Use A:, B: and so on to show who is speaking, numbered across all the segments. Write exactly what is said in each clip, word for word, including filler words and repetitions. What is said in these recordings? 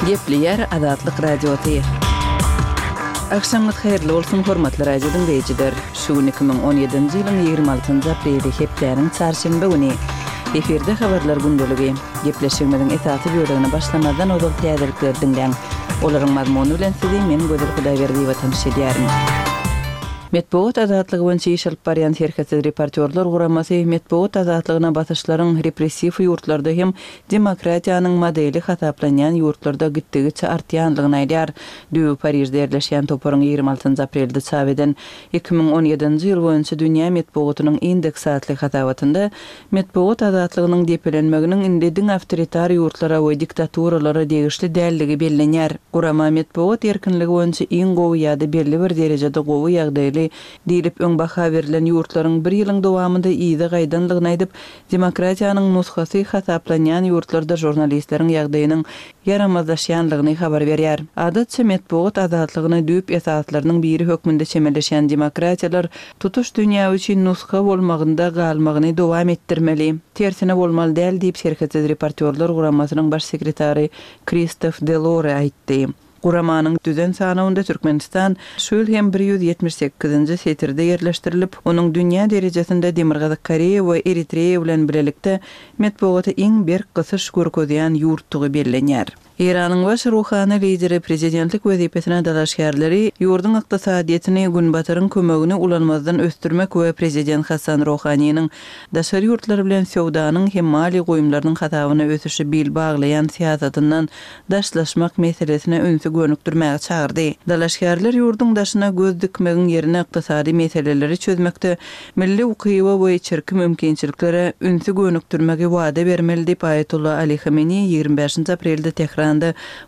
A: Gepleýär Azatlyk Radiosy. Agşamyňyz haýyrly bolsun, hormatly radio diňleýjiler. Şu gün iki müň on ýedinji ýylyň ýigrimi altynjy apreli, hepdäniň çarşenbe güni. Efirde habarlar gündeligi. Gepleşigimiziň esasy bölegine başlamazdan ozal täzelikleri diňläň. Olaryň mazmuny bilen sizi men Gözel Hudaýberdiýewa tanyş edýärin. Metbugat azatlygy boýunça iş alyp barýan Serhetsiz reportýorlar guramasy metbugat azatlygyna basyşlaryň repressiw ýurtlarda hem demokratiýanyň modeli hasaplanýan ýurtlarda gitdigiçe artýandygyny aýdýar. Düýbi Parižde ýerleşýän toparyň ýigrimi altynjy aprelde çap eden iki müň on ýedinji ýyl boýunça dünýä metbugatynyň indeksi atly hasabatynda metbugat azatlygynyň depelenmeginiň indi diňe awtoritar ýurtlara we diktaturalara degişli däldigi bellenýär. Gurama metbugat erkinligi boýunça iň gowy ýa-da belli bir derejede gowy ýagdaýly diýlip öň baha berlen ýurtlaryň bir ýylyň dowamynda yza gaýdanlygyny aýdyp, demokratiýanyň nusgasy hasaplanýan ýurtlarda žurnalistleriň ýagdaýynyň ýaramazlaşýanlygyny habar berýär. Adatça metbugat azatlygyna düýp esaslarynyň biri hökmünde çemeleşen demokratiýalar tutuş dünýä üçin nusga bolmagynda galmagyny dowam etdirmeli. Tersine bolmaly däl diýip Serhetsiz reportýorlar guramasynyň baş sekretary Kristof Delore aýtdy. Guramanyň düzen sanawynda Türkmenistan şu ýyl hem bir ýüz ýetmiş sekizinji setirde ýerleşdirilip, onuň dünýä derejesinde Demirgazyk Koreýa we Eritreýa bilen birlikde metbugata iň berk gysyş görkezýän ýurtdugy bellenýär. Eýranyň baş ruhany lideri prezidentlik wezipesine dalaşgärleri ýurduň ykdysadyýetini Günbataryň kömegini ulanmazdan ösdürmek we prezident Hasan Ruhaniniň daşary ýurtlar bilen söwdanyň hem maliýe goýumlarynyň hasabyna ösüşi bil baglaýan syýasatyndan daşlaşmak meselesine ünsi gönükdirmäge çagyrdy. Dalaşgärler ýurduň daşyna göz dikmegiň ýerine ykdysady meseleleri çözmekde milli ukyba we içerki mümkinçiliklere ünsi gönükdirmegi wada bermeli diýip Aýatollah Ali Hamenei ýigrimi bäşinji aprelde Tehranda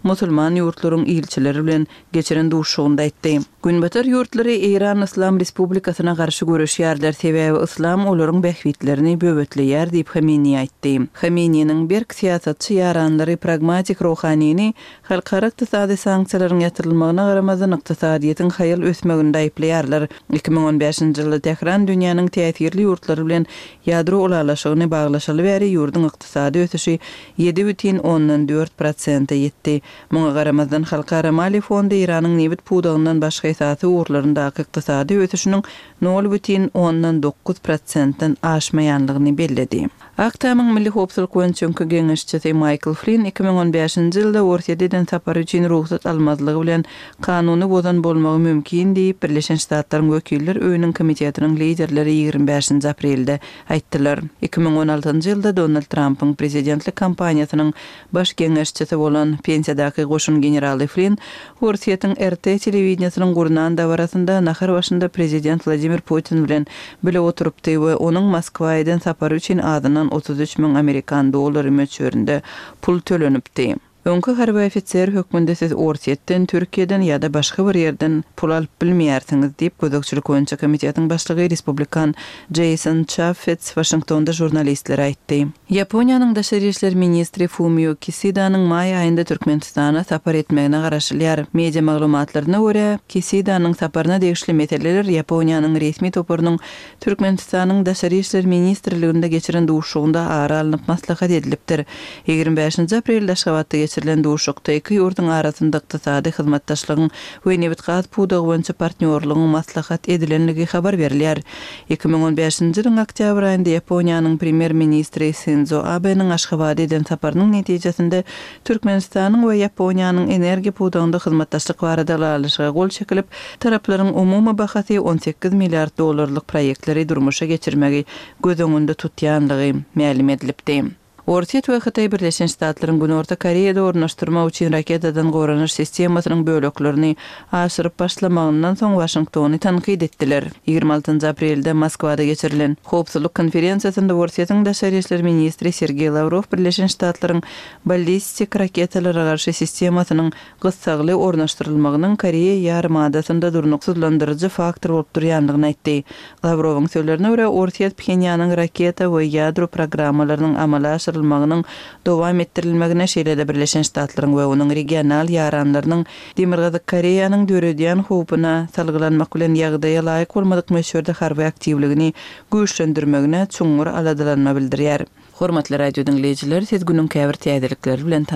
A: musulman ýurtlaryň ilçileri bilen geçiren duşuşygynda aýtdy. Günbatar ýurtlary Eýran Islam Respublikasyna garşy görüşýärler, sebäbi Islam olaryň bähbitlerini böwetleýär diýip Hamenei aýtdy. Hameneiniň berk syýasatçy ýaranlary pragmatik ruhanini halkara ykdysady sanksiýalaryň ýatyrylmagyna garamazdan ykdysadyýetiň haýal ösmeginde aýyplaýarlar. Iki müň on bäşinji ýylda Tehran dünýäniň täsirli ýurtlary bilen ýadro ulalaşygyny baglaşaly bäri ýurduň ykdysady ösüşi ýedi bütin ondan dört prosente ýetdi. Muňa garamazdan Halkara Maliýe fondy Eýranyň nebit pudagyndan başga esasy ugurlaryndaky ykdysady ösüşiniň nol bütin ondan dokuz prosentden aşmaýanlygyny belledi. Ak Tamyň Milli Howpsuzlyk boýunça öňki geňeşçisi Michael Flynn iki müň on bäşinji ýylda Orsýet eden sapary üçin rugsat almazlygy bilen kanuny bozan bolmagy mümkin diýip Birleşen Ştatlaryň wekiller öýüniň komitetiniň liderleri ýigrimi bäşinji aprelde aýtdylar. Iki müň on altynjy ýylda Donald Trumpyň prezidentlik kampaniýasynyň baş geňeşçisi bolan pensiýadaky goşun generaly Flynn Orsýetiň R T telewideniýesiniň gurnan dabarasynda nahar başynda prezident Wladimir Putin bilen bile oturypdy we onuň Moskwa eden sapary üçin azyndan otuz üç müň amerikan dollary möçberinde pul tölenipdi. Öňki harby ofiser hökmünde siz Orsýetden, Türkiýeden ýa-da başga bir ýerden pul alyp bilmeýärsiňiz diýip gözegçilik boýunça komitetiň başlygy respublikan Jason Chaffetz Waşingtonda žurnalistlere aýtdy. Ýaponiýanyň daşary işler ministri Fumio Kisidanyň maý aýynda Türkmenistana sapar etmegine garaşylýar. Media maglumatlaryna görä, Kisidanyň saparyna degişli meseleler Ýaponiýanyň resmi toparynyň Türkmenistanyň daşary işler ministrliginde geçiren duşuşygynda ara alnyp maslahat edilipdir. Ýigrimi bäşinji aprelde Aşgabatda geçirilen duşuşykda iki ýurduň arasynda ykdysady hyzmatdaşlygyň we nebit-gaz pudagy boýunça partnýorlygyň maslahat edilenligi habar berilýär. Iki müň on bäşinji ýylyň oktýabr aýynda Ýaponiýanyň premýer-ministri Sinzo Abeniň Aşgabada eden saparynyň netijesinde Türkmenistanyň we Ýaponiýanyň energiýa pudagynda hyzmatdaşlyk barada ylalaşyga gol çekilip, taraplaryň umumy bahasy on sekiz milliard dollarlyk proýektleri durmuşa geçirmegi göz öňünde tutýanlygy mälim edilipdi. Orsýet we Hytaý Birleşen Ştatlaryň Günorta Koreýada ornaşdyrmak üçin raketadan goranyş sistemasynyň böleklerini aşyryp başlamagyndan soň Waşingtony tankyt etdiler. Ýigrimi altynjy aprelde Moskwada geçirilen Howpsuzlyk konferensiýasynda Orsýetiň daşary işler ministri Sergeý Lawrow Birleşen Ştatlaryň ballistik raketalara garşy sistemasynyň gyssagly ornaşdyrylmagynyň Koreýa ýarymadasynda durnuksyzlandyryjy faktor bolup durýanlygyny aýtdy. Lawrowyň sözlerine görä, Orsýet Phenýanyň raketa we ýadro programmalarynyň amala aşyrylmagynyň dowam etdirilmegine, şeýle-de Birleşen Ştatlaryň we onuň regional ýaranlarynyň Demirgazyk Koreýanyň döredýän howpuna salgylanmak bilen ýagdaýa laýyk bolmadyk möçberde harby aktiwligini güýçlendirmegine çuňňur aladalanma bildirýär. Hormatly radio diňleýjiler, siz günüň käbir täzelikleri bilen